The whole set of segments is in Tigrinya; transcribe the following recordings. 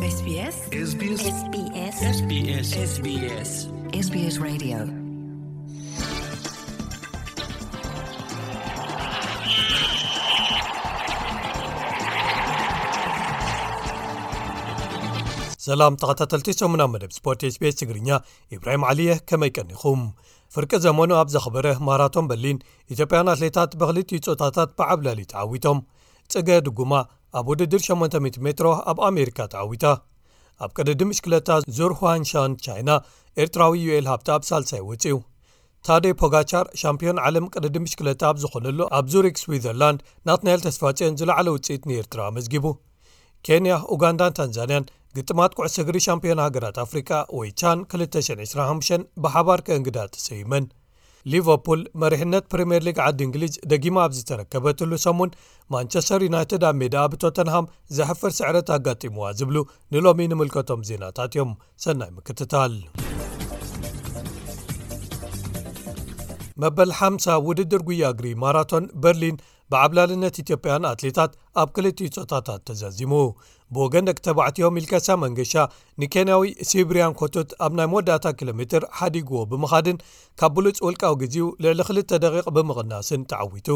SBS SBS SBS SBS SBS Radio. ሰላም ተኸታተልቲ ሰሙና መደብ ስፖርት SBS ትግርኛ፣ ኢብራሂም ዓሊየ፣ ከመይ ቀኒኹም? ፍርቂ ዘመኑ ኣብ ዘኽበረ ማራቶን በርሊን፣ ኢትዮጵያን ኣትሌታት ብክልቲኡ ጾታታት ብዓብላሊ ተዓዊቶም። ጽገ ድጉማ ኣብ ውድድር ሸሞንተ ሚእቲ ሜትሮ ኣብ ኣሜሪካ ተዓዊታ። ኣብ ቅድድም ብሽክለታ ዙር ሁዋንሻን ቻይና፣ ኤርትራዊ ዩኤል ሃብተኣብ ሳልሳይ ወጺኡ። ታዴ ፖጋቻር ሻምፒዮን ዓለም ቅድድም ብሽክለታ ኣብ ዝኾነሉ ኣብ ዙሪክ ስዊዘርላንድ፣ ናትናኤል ተስፋጽዮን ዝለዓለ ውጽኢት ንኤርትራ ኣመዝጊቡ። ኬንያ፣ ኡጋንዳን ታንዛንያን ግጥማት ኩዕሶ እግሪ ሻምፒዮን ሃገራት ኣፍሪቃ ወይ ቻን ክልተ ሽሕን ዕስራን ሓሙሽተን ብሓባር ከእንግዳ ተሰይመን። ሊቨርፑል መሪሕነት ፕሪምየር ሊግ ዓዲ እንግሊዝ ደጊማ ኣብ ዝተረከበትሉ ሰሙን፣ ማንቸስተር ዩናይትድ ኣብ ሜዳ ብቶተንሃም ዘሕፍር ስዕረት ኣጋጢምዋ ዝብሉ ንሎሚ ንምልከቶም ዜናታት እዮም። ሰናይ ምክትታል። መበል ሓምሳ ውድድር ጉያ እግሪ ማራቶን በርሊን ብዓብላልነት ኢትዮጵያን ኣትሌታት ኣብ ክልቲኡ ጾታታት ተዛዚሙ። ብወገን ደቂ ተባዕትዮ ሚልከሳ መንገሻ ንኬንያዊ ሲብሪያን ኮቶት ኣብ ናይ መወዳእታ ኪሎ ሜትር ሓዲግዎ ብምኻድን ካብ ብሉጽ ውልቃዊ ግዜኡ ልዕሊ ክልተ ደቂቕ ብምቕናስን ተዓዊቱ።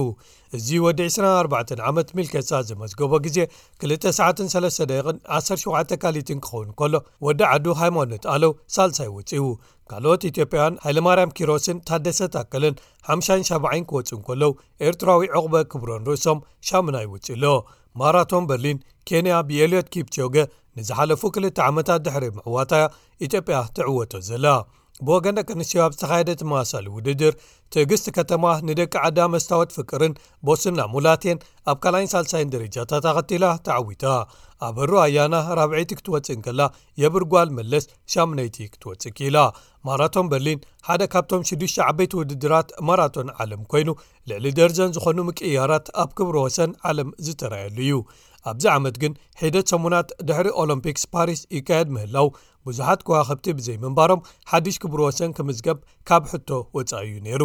እዚ ወዲ ዕስራን ኣርባዕተን ዓመት ሚልከሳ ዘመዝገቦ ግዜ ክልተ ሰዓትን ሰለስተ ደቂቕን ዓሰርተ ሸውዓተ ካሊትን ክኸውን ከሎ፣ ወዲ ዓዱ ሃይማኖት ኣለው ሳልሳይ ወጺኡ። ካልኦት ኢትዮጵያውያን ሃይለማርያም ኪሮስን ታደሰ ታከለን ሓምሻይን ሻብዓይን ክወጹ እንከለዉ፣ ኤርትራዊ ዑቕበ ክብሮን ርእሶም ሻምናይ ወጺኡ ኣሎ። ማራቶን በርሊን ኬንያ ብኤልዮት ኪፕቾገ ንዝሓለፉ ክልተ ዓመታት ድሕሪ ምዕዋታያ ኢትዮጵያ ትዕወቶ ዘላ። ብወገን ደቂ ኣንስትዮ ኣብ ዝተኻየደ ተመሳሳሊ ውድድር፣ ትዕግስቲ ከተማ ንደቂ ዓዳ መስታወት ፍቅርን ቦስና ሙላቴን ኣብ ካልኣይን ሳልሳይን ደረጃታት ኣኸቲላ ተዓዊታ። ኣበሩ ኣያና ራብዐይቲ ክትወጽእ እንከላ፣ የብርጓል መለስ ሻምነይቲ ክትወጽእ ክኢላ። ማራቶን በርሊን ሓደ ካብቶም ሽዱሽተ ዓበይቲ ውድድራት ማራቶን ዓለም ኮይኑ፣ ልዕሊ ደርዘን ዝኾኑ ምቅይያራት ኣብ ክብረ ወሰን ዓለም ዝተራየሉ እዩ። ኣብዚ ዓመት ግን ሒደት ሰሙናት ድሕሪ ኦሎምፒክስ ፓሪስ ይካየድ ምህላው፣ ብዙሓት ከዋኽብቲ ብዘይምንባሮም ሓድሽ ክብረ ወሰን ክምዝገብ ካብ ሕቶ ወጻኢ እዩ ነይሩ።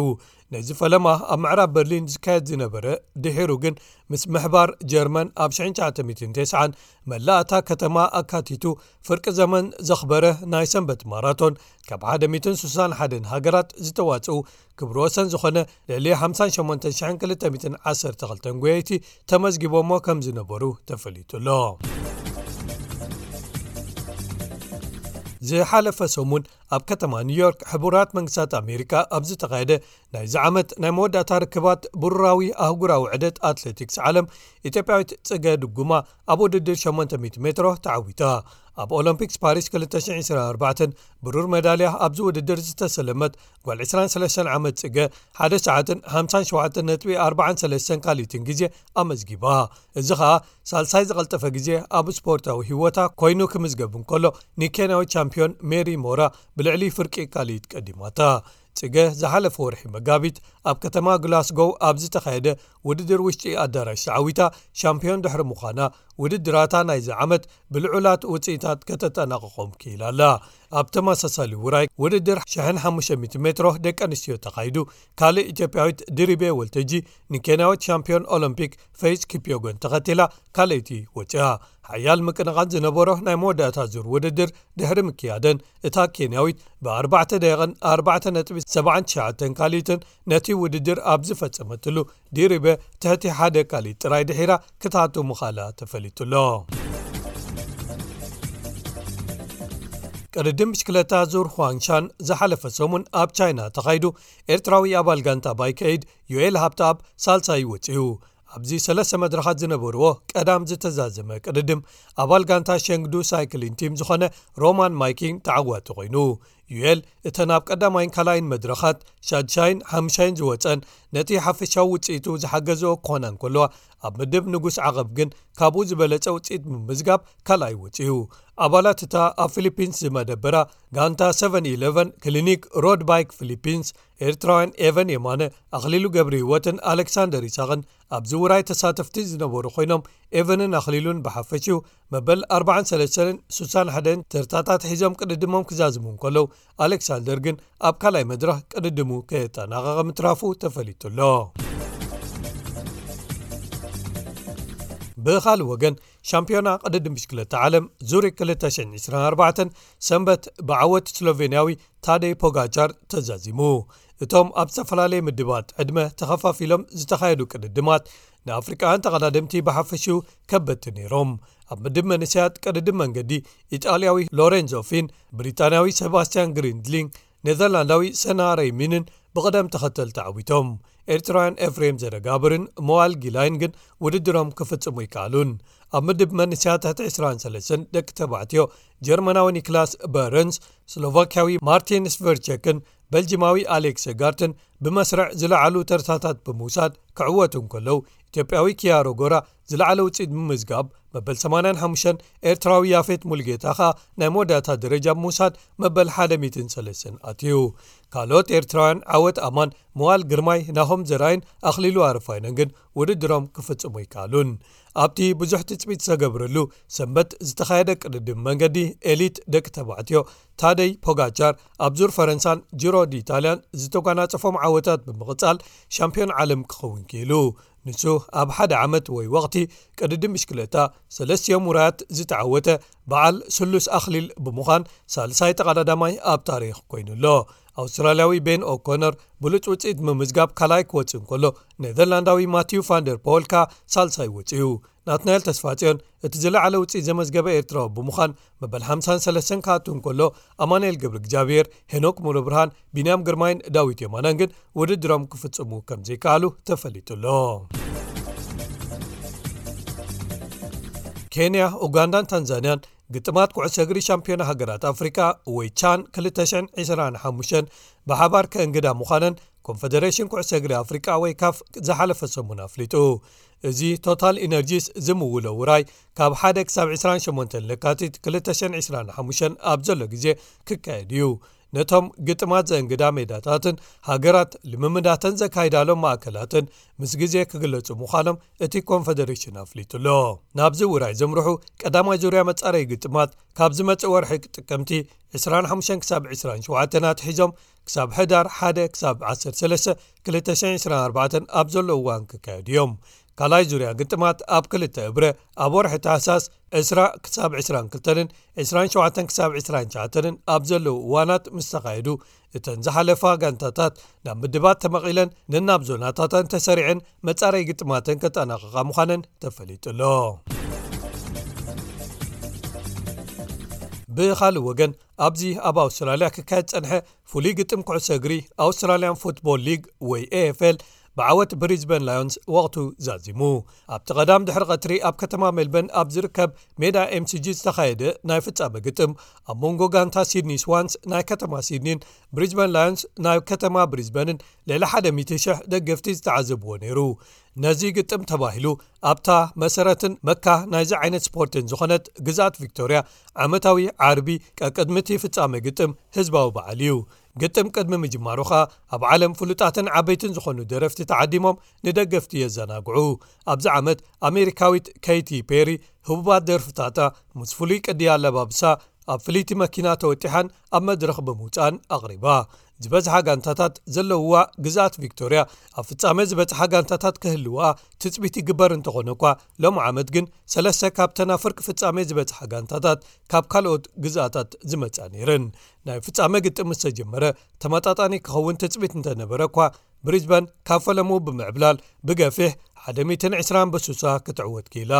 ነዚ ፈለማ ኣብ ምዕራብ በርሊን ዝካየድ ዝነበረ፣ ድሒሩ ግን ምስ ምሕባር ጀርመን ኣብ ሽሕን ትሽዓተ ሚእትን ተስዓን መላእ እታ ከተማ ኣካቲቱ ፍርቂ ዘመን ዘኽበረ ናይ ሰንበት ማራቶን፣ ካብ ሓደ ሚእትን ስሳን ሓደን ሃገራት ዝተዋጽኡ ክብረ ወሰን ዝኾነ ልዕሊ ሓምሳን ሸሞንተን ሽሕን ክልተ ሚእትን ዓሰርተ ክልተን ጎየይቲ ተመዝጊቦሞ ከም ዝነበሩ ተፈሊጡ ኣሎ። ዝሓለፈ ሰሙን ኣብ ከተማ ኒውዮርክ ሕቡራት መንግስታት ኣሜሪካ ኣብ ዝተኻየደ ናይዚ ዓመት ናይ መወዳእታ ርክባት ብሩራዊ ኣህጉራዊ ዕደት ኣትሌቲክስ ዓለም፣ ኢትዮጵያዊት ጽገ ድጉማ ኣብ ውድድር ሸሞንተ ሚእቲ ሜትሮ ተዓዊታ። ኣብ ኦሎምፒክስ ፓሪስ ክልተ ሽሕን ዕስራን ኣርባዕተን ብሩር ሜዳልያ ኣብዚ ውድድር ዝተሰለመት ጓል ዕስራን ሰለስተን ዓመት ጽገ፣ ሓደ ሰዓትን ሓምሳን ሸውዓተን ነጥቢ ኣርባዓን ሰለስተን ካልኢትን ግዜ ኣመዝጊባ። እዚ ኸኣ ሳልሳይ ዝቐልጠፈ ግዜ ኣብ ስፖርታዊ ህይወታ ኮይኑ ክምዝገብ እንከሎ፣ ንኬንያዊት ቻምፒዮን ሜሪ ሞራ ብልዕሊ ፍርቂ ካልኢት ቀዲማታ። ጽገ ዝሓለፈ ወርሒ መጋቢት ኣብ ከተማ ግላስጎው ኣብ ዝተኻየደ ውድድር ውሽጢ ኣዳራሽ ተዓዊታ ሻምፒዮን ድሕሪ ምዃና፣ ውድድራታ ናይዚ ዓመት ብልዑላት ውጽኢታት ከተጠናቕቖም ክኢላ ኣላ። ኣብ ተመሳሳሊ ውራይ ውድድር ሽሕን ሓሙሽተ ሚእቲ ሜትሮ ደቂ ኣንስትዮ ተኻይዱ፣ ካልእ ኢትዮጵያዊት ድሪቤ ወልተጂ ንኬንያዊት ሻምፒዮን ኦሎምፒክ ፈይዝ ኪፕዮጎን ተኸቲላ ካልኣይቲ ወጺኣ። ሓያል ምቅንቓን ዝነበሮ ናይ መወዳእታ ዙር ውድድር ድሕሪ ምክያደን፣ እታ ኬንያዊት ብኣርባዕተ ደቂቕን ኣርባዕተ ነጥቢ ሰብዓን ትሽዓተን ካልኢትን ነቲ ውድድር ኣብ ዝፈጸመትሉ፣ ዲሪበ ትሕቲ ሓደ ካልኢት ጥራይ ድሒራ ክትኣቱ ምኻላ ተፈሊጡ ኣሎ። ቅድድም ብሽክለታ ዙር ሁዋንሻን ዝሓለፈ ሰሙን ኣብ ቻይና ተኻይዱ፣ ኤርትራዊ ኣባል ጋንታ ባይከይድ ዩኤል ሃብተኣብ ሳልሳይ ወጺኡ። ኣብዚ ሰለስተ መድረኻት ዝነበርዎ ቀዳም ዝተዛዘመ ቅድድም፣ ኣባል ጋንታ ሸንግዱ ሳይክሊን ቲም ዝኾነ ሮማን ማይኪን ተዓዋቲ ኮይኑ። ዩኤል እተን ኣብ ቀዳማይን ካልኣይን መድረኻት ሻድሻይን ሓምሻይን ዝወጸን፣ ነቲ ሓፈሻዊ ውጽኢቱ ዝሓገዝኦ ክኾና እንከለዋ፣ ኣብ ምድብ ንጉስ ዓቐብ ግን ካብኡ ዝበለጸ ውጽኢት ብምምዝጋብ ካልኣይ ወጺኡ። ኣባላት እታ ኣብ ፊሊፒንስ ዝመደበራ ጋንታ ሰቨን ኢለቨን ክሊኒክ ሮድ ባይክ ፊሊፒንስ፣ ኤርትራውያን ኤቨን የማነ፣ ኣኽሊሉ ገብረ ህይወትን ኣሌክሳንደር ይስሃቅን ኣብዚ ውራይ ተሳተፍቲ ዝነበሩ ኮይኖም፣ ኤቨንን ኣኽሊሉን ብሓፈሽኡ መበል ኣርባዓን ሰለስተን ስሳን ሓደን ተርታታት ሒዞም ቅድድሞም ክዛዝሙ እንከለዉ፣ ኣሌክሳንደር ግን ኣብ ካልኣይ መድረኽ ቅድድሙ ከየጠናቐቐ ምትራፉ ተፈሊጡ ኣሎ። ብኻልእ ወገን፣ ሻምፒዮና ቅድድም ብሽክለታ ዓለም ዙሪክ ክልተ ሽሕን ዕስራን ኣርባዕተን ሰንበት ብዓወት ስሎቬንያዊ ታደይ ፖጋቻር ተዛዚሙ። እቶም ኣብ ዝተፈላለየ ምድባት ዕድመ ተኸፋፊሎም ዝተኻየዱ ቅድድማት፣ ንኣፍሪቃውያን ተቐዳደምቲ ብሓፈሽኡ ከበድቲ ነይሮም። ኣብ ምድብ መንእሰያት ቅድድም መንገዲ፣ ኢጣልያዊ ሎሬንዞ ፊን፣ ብሪጣንያዊ ሰባስቲያን ግሪንድሊንግ፣ ኔዘርላንዳዊ ሰና ረይሚንን ብቕደም ተኸተል ተዓዊቶም። ኤርትራውያን ኤፍሬም ዘረጋብርን መዋል ጊላይን ግን ውድድሮም ክፍጽሙ ይከኣሉን። ኣብ ምድብ መንእሰያት ትሕቲ ዕስራን ሰለስተን ደቂ ተባዕትዮ፣ ጀርመናዊ ኒክላስ በረንስ፣ ስሎቫክያዊ ማርቲን ስቨርቸክን በልጂማዊ ኣሌክስ ጋርትን ብመስርዕ ዝለዓሉ ተርታታት ብምውሳድ ክዕወቱ እንከለዉ፣ ኢትዮጵያዊ ኪያሮ ጎራ ዝለዓለ ውፅኢት ብምምዝጋብ መበል ሰማንያን ሓሙሽተን፣ ኤርትራዊ ያፌት ሙልጌታ ኸኣ ናይ መወዳእታ ደረጃ ብምውሳድ መበል ሓደ ሚእትን ሰለስተን ኣትዩ። ካልኦት ኤርትራውያን ዓወት ኣማን፣ መዋል ግርማይ፣ ናሆም ዘርኣይን ኣኽሊሉ ኣረፋይነን ግን ውድድሮም ክፍጽሙ ኣይከኣሉን። ኣብቲ ብዙሕ ትጽቢት ዝተገብረሉ ሰንበት ዝተኻየደ ቅድድም መንገዲ ኤሊት ደቂ ተባዕትዮ፣ ታደይ ፖጋቻር ኣብ ዙር ፈረንሳን ጂሮ ዲኢጣልያን ዝተጓናጸፎም ዓወታት ብምቕጻል ሻምፒዮን ዓለም ክኸውን ክኢሉ። ንሱ ኣብ ሓደ ዓመት ወይ ወቕቲ ቅድድም ብሽክለታ ሰለስቲኦም ውራያት ዝተዓወተ በዓል ስሉስ ኣኽሊል ብምዃን ሳልሳይ ተቐዳዳማይ ኣብ ታሪኽ ኮይኑ ኣሎ። ኣውስትራልያዊ ቤን ኦኮነር ብሉጽ ውጽኢት ምምዝጋብ ካልኣይ ክወጽእ እንከሎ፣ ኔዘርላንዳዊ ማቲው ፋንደር ፖል ከኣ ሳልሳይ ወጺኡ። ናትናኤል ተስፋጽዮን እቲ ዝለዓለ ውጽኢት ዘመዝገበ ኤርትራዊ ብምዃን መበል ሓምሳን ሰለስተን ክኣቱ እንከሎ፣ ኣማኑኤል ገብረ እግዚኣብሔር፣ ሄኖክ ሙሉብርሃን፣ ቢንያም ግርማይን ዳዊት የማነን ግን ውድድሮም ክፍጽሙ ከም ዘይከኣሉ ተፈሊጡ ኣሎ። ኬንያ፣ ኡጋንዳን ታንዛንያን ግጥማት ኩዕሶ እግሪ ሻምፒዮና ሃገራት ኣፍሪቃ ወይ ቻን ክልተ ሽሕን ዕስራን ሓሙሽተን ብሓባር ከእንግዳ ምዃነን ኮንፈደሬሽን ኩዕሶ እግሪ ኣፍሪቃ ወይ ካፍ ዝሓለፈ ሰሙን ኣፍሊጡ። እዚ ቶታል ኢነርጂስ ዝምውሎ ውራይ ካብ ሓደ ክሳብ ዕስራን ሸሞንተን ለካቲት ክልተ ሽሕን ዕስራን ሓሙሽተን ኣብ ዘሎ ግዜ ክካየድ እዩ። ነቶም ግጥማት ዘእንግዳ ሜዳታትን ሃገራት ልምምዳተን ዘካይዳሎም ማእከላትን ምስ ግዜ ክግለጹ ምዃኖም እቲ ኮንፈደሬሽን ኣፍሊጡ ኣሎ። ናብዚ ውራይ ዘምርሑ ቀዳማይ ዙርያ መጻረዪ ግጥማት ካብ ዝመጽእ ወርሒ ጥቅምቲ ዕስራን ሓሙሽተን ክሳብ ዕስራን ሸውዓተን ኣትሒዞም ክሳብ ሕዳር ሓደ ክሳብ ዓሰርተ ሰለስተ ክልተ ሽሕን ዕስራን ኣርባዕተን ኣብ ዘሎ እዋን ክካየዱ እዮም። ካልኣይ ዙርያ ግጥማት ኣብ ክልተ እብረ ኣብ ወርሒ ታህሳስ ዕስራ ክሳብ ዕስራን ክልተን ዕስራን ሸውዓተን ክሳብ ዕስራን ትሽዓተን ኣብ ዘለዉ እዋናት ምስ ተኻየዱ፣ እተን ዝሓለፋ ጋንታታት ናብ ምድባት ተመቒለን ነናብ ዞናታተን ተሰሪዐን መጻረይ ግጥማተን ከጠናቕቓ ምዃነን ተፈሊጡ ኣሎ። ብኻልእ ወገን፣ ኣብዚ ኣብ ኣውስትራልያ ክካየድ ጸንሐ ፍሉይ ግጥም ኩዕሶ እግሪ ኣውስትራልያን ፉትቦል ሊግ ወይ ኤ ኤፍ ኤል ብዓወት ብሪዝበን ላዮንስ ወቕቱ ዛዚሙ። ኣብቲ ቀዳም ድሕሪ ቀትሪ ኣብ ከተማ ሜልበርን ኣብ ዝርከብ ሜዳ ኤም ሲ ጂ ዝተኻየደ ናይ ፍጻመ ግጥም፣ ኣብ መንጎ ጋንታ ሲድኒ ስዋንስ ናይ ከተማ ሲድኒን ብሪዝበን ላዮንስ ናይ ከተማ ብሪዝበንን ልዕሊ ሓደ ሚእቲ ሽሕ ደገፍቲ ዝተዓዘብዎ ነይሩ። ነዚ ግጥም ተባሂሉ ኣብታ መሰረትን መካ ናይዚ ዓይነት ስፖርትን ዝኾነት ግዝኣት ቪክቶርያ፣ ዓመታዊ ዓርቢ ቀቅድሚ እቲ ፍጻመ ግጥም ህዝባዊ በዓል እዩ። ግጥም ቅድሚ ምጅማሩ ኸኣ ኣብ ዓለም ፍሉጣትን ዓበይትን ዝኾኑ ደረፍቲ ተዓዲሞም ንደገፍቲ የዘናግዑ። ኣብዚ ዓመት ኣሜሪካዊት ኬይቲ ፔሪ ህቡባት ደርፍታታ ምስ ፍሉይ ቅዲ ኣለባብሳ ኣብ ፍልይቲ መኪና ተወጢሓን ኣብ መድረኽ ብምውጻእን ኣቕሪባ። ዝበዝሓ ጋንታታት ዘለውዋ ግዝኣት ቪክቶርያ ኣብ ፍጻመ ዝበጽሓ ጋንታታት ክህልዋ ትጽቢት ይግበር እንተኾነ እኳ፣ ሎሚ ዓመት ግን ሰለስተ ካብተን ኣብ ፍርቂ ፍጻመ ዝበጽሓ ጋንታታት ካብ ካልኦት ግዝኣታት ዝመጻ ነይረን። ናይ ፍጻመ ግጥም ምስ ተጀመረ ተመጣጣኒ ክኸውን ትጽቢት እንተነበረ እኳ፣ ብሪዝበን ካብ ፈለሙ ብምዕብላል ብገፊሕ ሓደ ሚእትን ዕስራን በሱሳ ክትዕወት ክኢላ።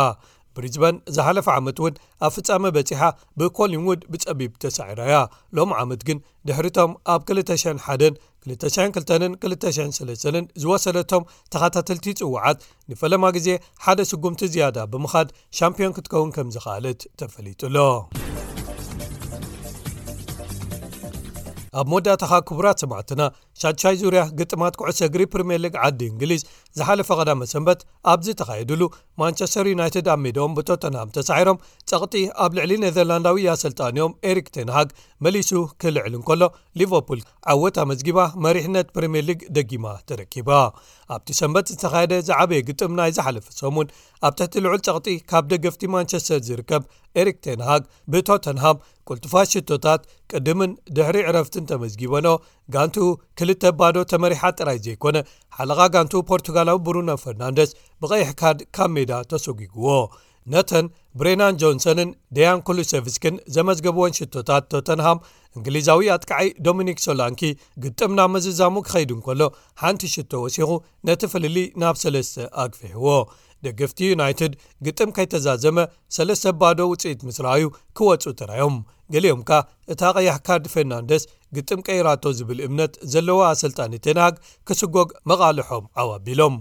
ብሪዝበን ዝሓለፈ ዓመት እውን ኣብ ፍጻመ በጺሓ ብኮሊንውድ ብጸቢብ ተሳዒራ እያ። ሎም ዓመት ግን ድሕሪቶም ኣብ ክልተ ሽሕን ሓደን ክልተ ሽሕን ክልተን ክልተ ሽሕን ሰለስተን ዝወሰደቶም ተኸታተልቲ ጽዋዓት ንፈለማ ግዜ ሓደ ስጉምቲ ዝያዳ ብምኻድ ሻምፒዮን ክትከውን ከም ዝኸኣለት ተፈሊጡ ኣሎ። ኣብ መወዳእታኻ ክቡራት ሰማዕትና፣ ሻድሻይ ዙርያ ግጥማት ኩዕሶ እግሪ ፕሪምየር ሊግ ዓዲ እንግሊዝ ዝሓለፈ ቀዳመ ሰንበት ኣብ ዝተኻየድሉ፣ ማንቸስተር ዩናይትድ ኣብ ሜዳኦም ብቶተንሃም ተሳዒሮም ጸቕጢ ኣብ ልዕሊ ኔዘርላንዳዊ ኣሰልጣኒኦም ኤሪክ ቴንሃግ መሊሱ ክልዕል እንከሎ፣ ሊቨርፑል ዓወት ኣመዝጊባ መሪሕነት ፕሪምየር ሊግ ደጊማ ተረኪባ። ኣብቲ ሰንበት ዝተኻየደ ዝዓበየ ግጥም ናይ ዝሓለፈ ሰሙን፣ ኣብ ትሕቲ ልዑል ጸቕጢ ካብ ደገፍቲ ማንቸስተር ዝርከብ ኤሪክ ቴንሃግ ብቶተንሃም ቅልጡፋት ሽቶታት ቅድምን ድሕሪ ዕረፍትን ተመዝጊበኖ፣ ጋንትኡ ክልተ ባዶ ተመሪሓ ጥራይ ዘይኮነ፣ ሓለቓ ጋንቱ ፖርቱጋላዊ ብሩኖ ፈርናንደስ ብቐይሕ ካርድ ካብ ሜዳ ተሰጒግዎ። ነተን ብሬናን ጆንሰንን ደያን ኩሉሰቭስክን ዘመዝገብወን ሽቶታት ቶተንሃም፣ እንግሊዛዊ ኣጥቃዓይ ዶሚኒክ ሶላንኪ ግጥም ናብ ምዝዛሙ ክኸይድ እንከሎ፣ ሓንቲ ሽቶ ወሲኹ ነቲ ፍልልይ ናብ ሰለስተ ኣግፊሕዎ። ደገፍቲ ዩናይትድ ግጥም ከይተዛዘመ ሰለስተ ባዶ ውፅኢት ምስ ረኣዩ ክወፁ ተራዮም። ገሊኦም ከኣ እታ ቀያሕ ካርድ ፈርናንደስ ግጥም ቀይራቶ ዝብል እምነት ዘለዎ ኣሰልጣኒ ቴንሃግ ክስጎግ መቓልሖም ዓው ኣቢሎም።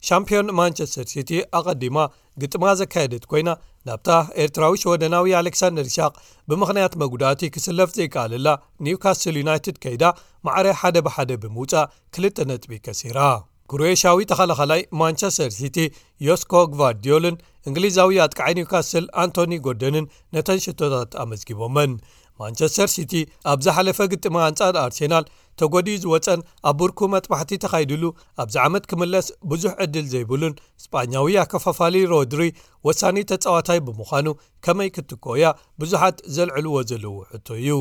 ሻምፒዮን ማንቸስተር ሲቲ ኣቐዲማ ግጥማ ዘካየደት ኮይና፣ ናብታ ኤርትራዊ ሽወደናዊ ኣሌክሳንደር ኢሳቕ ብምኽንያት መጉዳእቲ ክስለፍ ዘይከኣለላ ኒውካስል ዩናይትድ ከይዳ ማዕረ ሓደ ብሓደ ብምውጻእ ክልተ ነጥቢ ከሲራ። ክሮኤሽያዊ ተኸላኻላይ ማንቸስተር ሲቲ ዮስኮ ግቫርዲዮልን እንግሊዛዊ ኣጥቃዓይ ኒውካስል ኣንቶኒ ጎርደንን ነተን ሽቶታት ኣመዝጊቦመን። ማንቸስተር ሲቲ ኣብ ዝሓለፈ ግጥም ኣንጻር ኣርሴናል ተጎዲኡ ዝወጸን ኣብ ብርኩ መጥባሕቲ ተኻይድሉ ኣብዚ ዓመት ክምለስ ብዙሕ ዕድል ዘይብሉን ስጳኛዊ ኣከፋፋሊ ሮድሪ ወሳኒ ተጻዋታይ ብምዃኑ ከመይ ክትኮያ ብዙሓት ዘልዕልዎ ዘለዉ ሕቶ እዩ።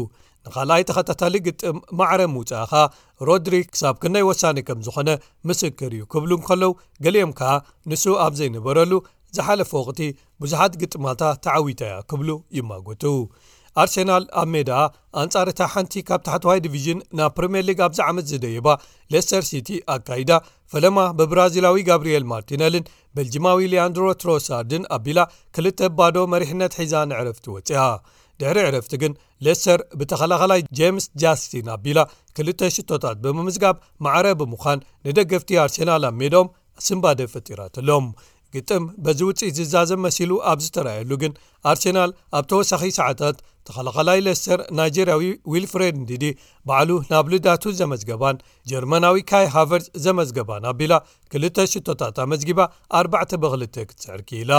ንኻልኣይ ተኸታታሊ ግጥም ማዕረ ምውጻእኻ ሮድሪ ክሳብ ክንደይ ወሳኒ ከም ዝኾነ ምስክር እዩ ክብሉ እንከለዉ፣ ገሊኦም ከኣ ንሱ ኣብ ዘይነበረሉ ዝሓለፈ ወቕቲ ብዙሓት ግጥማታ ተዓዊታ እያ ክብሉ ይማጎቱ። ኣርሴናል ኣብ ሜዳ ኣንጻር እታ ሓንቲ ካብ ታሕተዋይ ዲቪዥን ናብ ፕሪምየር ሊግ ኣብዚ ዓመት ዝደየባ ሌስተር ሲቲ ኣካይዳ፣ ፈለማ ብብራዚላዊ ጋብሪኤል ማርቲነልን ቤልጂማዊ ሊያንድሮ ትሮሳርድን ኣቢላ ክልተ ባዶ መሪሕነት ሒዛ ንዕረፍቲ ወጺኣ። ድሕሪ ዕረፍቲ ግን ሌስተር ብተኸላኸላይ ጄምስ ጃስቲን ኣቢላ ክልተ ሽቶታት ብምምዝጋብ ማዕረ ብምዃን ንደገፍቲ ኣርሴናል ኣብ ሜዳኦም ስንባደ ፈጢራትሎም። ግጥም በዚ ውጽኢት ዝዛዘም መሲሉ ኣብ ዝተረኣየሉ ግን ኣርሴናል ኣብ ተወሳኺ ሰዓታት ተኸላኸላይ ሌስተር ናይጀርያዊ ዊልፍሬድ እንዲዲ ባዕሉ ናብ ልዳቱ ዘመዝገባን ጀርመናዊ ካይ ሃቨርዝ ዘመዝገባን ኣቢላ ክልተ ሽቶታት ኣመዝጊባ ኣርባዕተ ብክልተ ክትስዕር ክኢላ።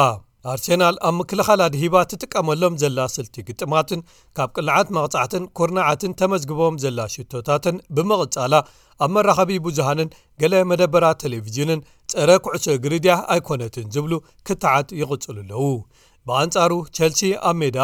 ኣርሴናል ኣብ ምክልኻል ኣድሂባ ትጥቀመሎም ዘላ ስልቲ ግጥማትን ካብ ቅልዓት መቕጻዕትን ኩርናዓትን ተመዝግቦም ዘላ ሽቶታትን ብምቕጻላ ኣብ መራኸቢ ብዙሃንን ገለ መደበራት ቴሌቪዥንን ጸረ ኩዕሶ እግሪ ድያ ኣይኮነትን ዝብሉ ክትዓት ይቕጽሉ ኣለዉ። ብኣንጻሩ ቸልሲ ኣብ ሜዳ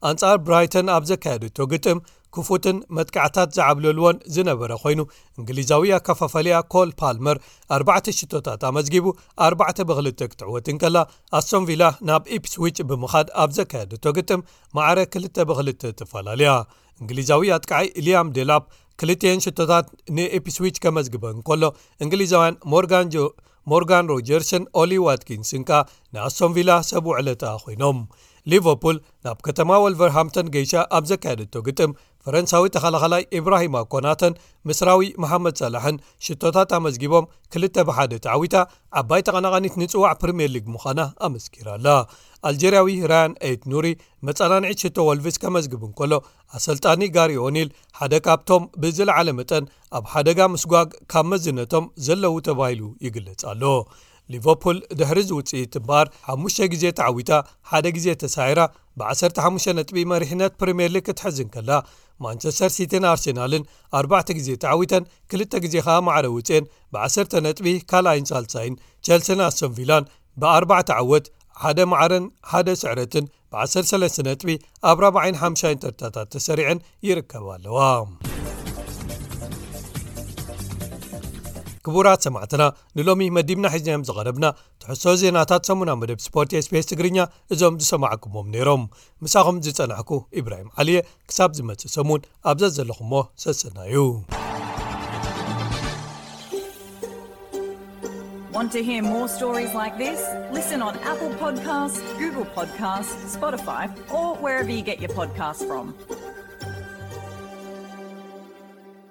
ኣንጻር ብራይተን ኣብ ዘካየደቶ ግጥም ክፉትን መጥቃዕታት ዝዓብለልዎን ዝነበረ ኮይኑ እንግሊዛዊ ኣከፋፋሊያ ኮል ፓልመር ኣርባዕተ ሽቶታት ኣመዝጊቡ ኣርባዕተ ብክልተ ክትዕወት እንከላ ኣስቶን ቪላ ናብ ኢፕስዊች ብምኻድ ኣብ ዘካየደቶ ግጥም ማዕረ ክልተ ብክልተ ተፈላለያ። እንግሊዛዊ ኣጥቃዓይ ሊያም ዴላፕ ክልቲኤን ሽቶታት ንኢፕስዊች ከመዝግበ እንከሎ እንግሊዛውያን ሞርጋን ጆ ሞርጋን ሮጀርስን ኦሊ ዋትኪንስን ከኣ ንኣስቶን ቪላ ሰብ ውዕለታ ኮይኖም። ሊቨርፑል ናብ ከተማ ወልቨርሃምተን ገይሻ ኣብ ዘካየደቶ ግጥም ፈረንሳዊ ተኸላኸላይ ኢብራሂማ ኮናተን ምስራዊ መሓመድ ሳላሕን ሽቶታት ኣመዝጊቦም ክልተ ብሓደ ተዓዊታ ዓባይ ተቐናቓኒት ንጽዋዕ ፕሪምየር ሊግ ምዃና ኣመስኪራ ኣላ። ኣልጀርያዊ ራያን ኤት ኑሪ መጸናንዒት ሽቶ ወልቭስ ከመዝግብ እንከሎ ኣሰልጣኒ ጋሪ ኦኒል ሓደ ካብቶም ብዝለዓለ መጠን ኣብ ሓደጋ ምስጓግ ካብ መዝነቶም ዘለዉ ተባሂሉ ይግለጽ ኣሎ። ሊቨርፑል ድሕሪ እዚ ውጽኢት እምበኣር ሓሙሽተ ግዜ ተዓዊታ ሓደ ግዜ ተሳዒራ ብ15 ነጥቢ መሪሕነት ፕሪምየር ሊግ ክትሕዝ እንከላ ማንቸስተር ሲቲን ኣርሴናልን ኣርባዕተ ግዜ ተዓዊተን ክልተ ግዜ ከኣ ማዕረ ውጽኤን ብ10 ነጥቢ ካልኣይን ሳልሳይን ቸልሲን ኣስቶን ቪላን ብኣርባዕተ ዓወት ሓደ ማዕረን ሓደ ስዕረትን ብ13 ነጥቢ ኣብ ራብዓይን ሓምሻይን ተርታታት ተሰሪዐን ይርከባ ኣለዋ። ክቡራት ሰማዕትና ንሎሚ መዲብና ሒዝናዮም ዝቐረብና ትሕሶ ዜናታት ሰሙና መደብ ስፖርት ኤስቢኤስ ትግርኛ እዞም ዝሰማዕኩሞም ነይሮም። ምሳኹም ዝጸናሕኩ ኢብራሂም ዓሊየ። ክሳብ ዝመጽእ ሰሙን ኣብዛ ዘለኹሞ ሰሰናዩ። Want to hear more stories like this? Listen on Apple Podcasts, Google Podcasts, Spotify, or wherever you get your podcasts from.